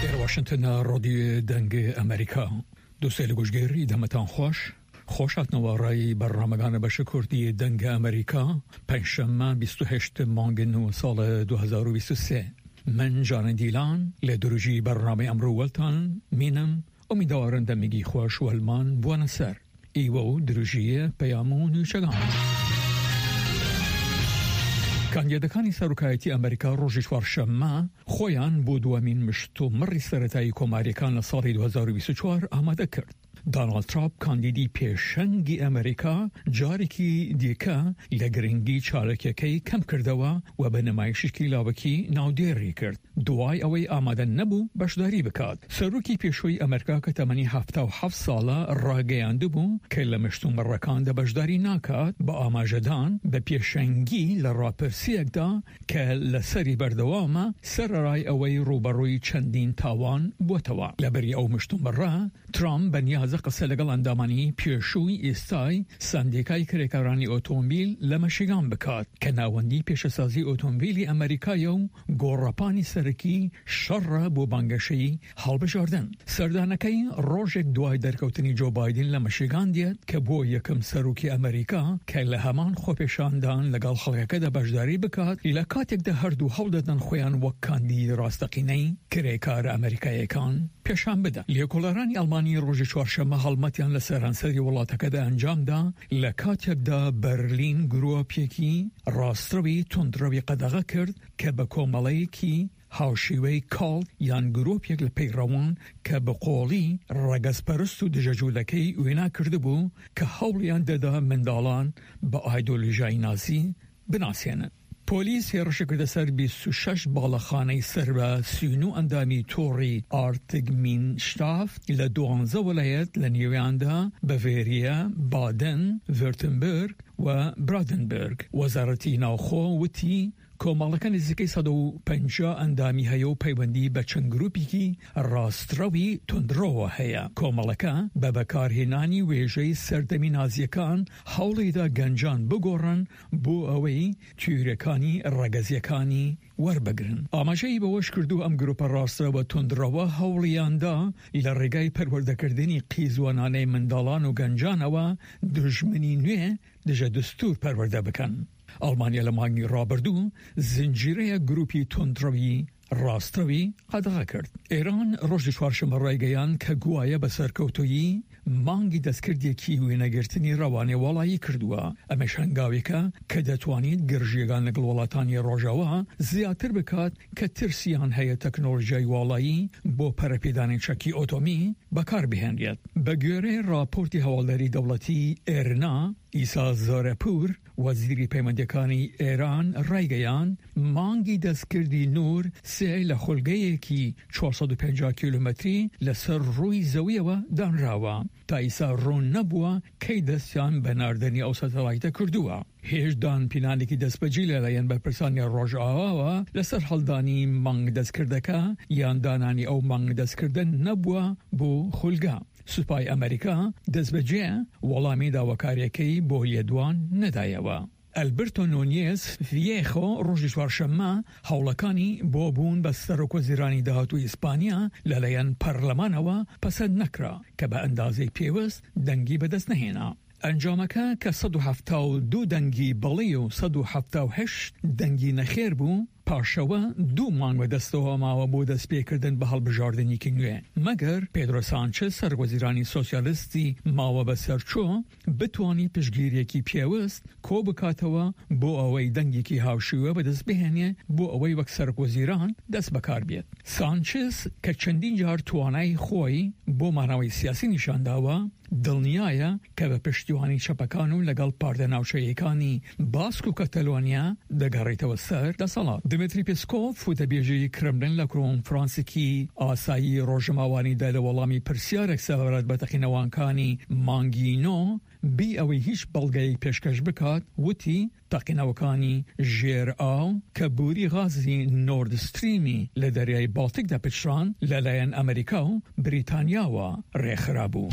ئێرە واشنتنە ڕادیۆ دەنگ ئەمریکا دووسەیل گوشگێری دەمتان خوەش خوەش هاتنەوە ڕای بەرنامەگانە بەش کوردی دەنگ ئەمریکا پەنجشەممە 28 مانگ 9 ساڵ 2023 من ژانە دیلان لە درژی بەرنامەی ئەمڕۆ وەلتان مینم ئومیدەوارم دەمێگی خوەش وەلمان بوەنە سەر ئیوە و درژیێ پەیام و نوچەگان. کاندیدەکانی سەرۆکایەتی ئەمریکا ڕۆژی چوارشەممە خۆیان بۆ دووەمین مشتومڕی سەرەتایی کۆمارییەکان لە ساڵی 2024 ئامادە کرد. داناڵد ترامپ کاندیدی پێشەنگی ئەمریکا جارێکی دیکە لە گرنگی چاالکیەکەی کەم کردەوە و بە نمایشێکی لاوەکی ناودێری کرد دوای ئەوەی ئامادە نەبوو بەشداری بکات. سەرۆکی پێشووی ئەمریکا کە تەمەنی 77 ساڵە ڕاگەیاندبوو کە لە مشتومڕەکاندا بەشداری ناکات بە ئاماژەدان بە پێشەنگی لە ڕاپرسییەکدا کە لەسەری بەردەوامە سەرەڕای ئەوەی ڕووبەڕووی چەندین تاوان بووەتەوە. لەبری ئەو مشتومڕە، ترامپ بەنیازە قسە لەگەڵ ئەندامانی پێشووی ئێستای سەندیکای کرێکارانی ئۆتۆمبیل لە مەشیگان بکات کە ناوەندی پیشەسازی ئۆتۆمبیلی ئەمەریکایە و گۆڕەپانی سەرەکی شەڕە بۆ بانگەشەی هەڵبژاردن. سەردانەکەی ڕۆژێک دوای دەرکەوتنی جۆ بایدن لە مشیگان دێت کە بووە یەکەم سەرۆکی ئەمەریکا کە لە هەمان خۆپێشاندان لەگەڵ خەڵکەکەدا بەشداری بکات لە کاتێکدا هەردوو هەوڵدەدەن خۆیان وەک کاندیدی ڕاستەقینەی کرێکارە ئەمەریکاییەکان پێشان بدەن. لێکۆڵەرانی ئەڵمانی ڕۆژی چوارشەممە هەڵمەتیان لە سەرانسەری وڵاتەکەدا ئەنجامدا لە کاتێکدا بەرلین گرۆپێکی ڕاستڕەوی توندڕەوی قەدەغە کرد کە بە کۆمەڵەیەکی هاوشێوەی کاڵت یان گرۆپێک لە پەیڕەوان کە بە قۆڵی ڕەگەزپەرست و دژەجولەکەی وێنا کردبوو کە هەوڵیان دەدا منداڵان بە ئایدۆلۆژیای نازی بناسێنن. پۆلیس هێڕشی کردە سەر 26 باڵەخانەی سەر بە 39 ئەندامی تۆڕی ئارتگمینشتافت لە دوانزە وەلایەت لە نێویاندا بەڤێریە، بادن، ڤێرتنبرگ و برادنبرگ. وەزارەتی ناوخۆ وتی کۆمەڵەکە نزیکەی 150 ئەندامی هەیە و پەیوەندی بە چەند گروپێکی ڕاستڕەوی توندڕەوە هەیە. کۆمەڵەکە بە بەکارهێنانی وێژەی سەردەمی نازییەکان هەوڵیدا گەنجان بگۆڕن بۆ ئەوەی تیۆرییەکانی ڕەگەزییەکانی وەربگرن. ئاماژەی بەوەشکردووە، ئەم گروپە ڕاستڕەوە توندڕەوە هەوڵیاندا لە ڕێگای پەروەردەکردنی قیزوانانەی منداڵان و گەنجانەوە دوژمنی نوێ دژە دستور پەروەردە بکەن. ئەڵمانیا لە مانگی ڕابردوو زنجیرەیەک گروپی توندڕەوی ڕاستڕەوی قەدەغە کرد. ئێران ڕۆژی چوارشەممە ڕایگەیاند کە گوایە بە سەرکەوتوویی مانگی دەستکردێکی وێنەگرتنی ڕەوانەی واڵایی کردووە، ئەمەش هەنگاوێکە کە دەتوانیت گرژییەکان لەگەڵ وڵاتانی ڕۆژاوا زیاتر بکات کە ترسیان هەیە تەکنۆلۆژیای واڵایی بۆ پەرەپێدانی چەکی ئۆتۆمی بەکاربهێنرێت. بەگوێرەی ڕاپۆرتی هەواڵدەری دەوڵەتی ئێرنا، ئیسا زارەپوور، وەزیری پەیوەندییەکانی ئێران ڕایگەیاند، مانگی دەستکردی نوور سێ لە خولگەیەکی 450 کیلۆمەتری لەسەر ڕووی زەوییەوە دانراوە، تا ئیستا ڕوون نەبووە کەی دەستیان بە ناردنی ئەو سەتەلایتە کردووە. هێچ دانپینانێکی دەستبەجێ لەلایەن بەرپرسانی ڕۆژئاواوە لەسەر هەڵدانی مانگ دەستکردەکە یان دانانی ئەو مانگ دەستکردە نەبووە بۆ خولگە. سوپای ئەمریکا دەستبەجێ وەڵامی داواکارییەکەی بۆ لێدوان نەدایەوە. ئەلبرتۆ نونیێز ڤیێخۆ ڕۆژی چوارشەممە هەوڵەکانی بۆ بوون بە سەرۆکوەزیرانی داهاتووی ئیسپانیا لەلایەن پەرلەمانەوە پەسەند نەکرا، کە بە ئەندازەی پێوست دەنگی بەدەست نەهێنا. ئەنجامەکە کە 172 دەنگی بەڵی و 178 دەنگی نەخێر بوو، پاشەوە دوو مانگ بەدەستەوە ماوە بۆ دەستپێکردن بە هەڵبژاردنێکی نوێ، مەگەر پێدرۆ سانچز سەرۆکوەزیرانی سۆسیالیستی ماوە بەسەرچوو بتوانی پشتگیرییەکی پێوست کۆبکاتەوە بۆ ئەوەی دەنگێکی هاوشێوە بەدەست بهێنێ بۆ ئەوەی وەک سەرۆکوەزیران دەست بەکاربێت. سانچز کە چەندین جار توانای خۆی بۆ مانەوەی سیاسی نیشانداوە، دڵنیایە کە بە پشتیوانی چەپەکان و لەگەڵ پارتە ناوچەییەکانی باسک و کەتەلۆنیا دەگەڕێتەوە سەر دەسەڵات. دمیتری پێسکۆڤ، وتەبێژی کرملن لە کۆنفرانسێکی ئاسایی ڕۆژنامەوانیدا لە وەڵامی پرسیارێک سەبارەت بە تەقینەوانکانی مانگی نۆ، بی ئەوەی هیچ بەڵگەیەک پێشکەش بکات، وتی، تەقینەوەکانی ژێر ئاو کە بوری غازی نۆرد ستریمی لە دەریای باڵتیکدا پچڕاند، لەلایەن ئەمریکا و بریتانیاوە رێکخرابوو.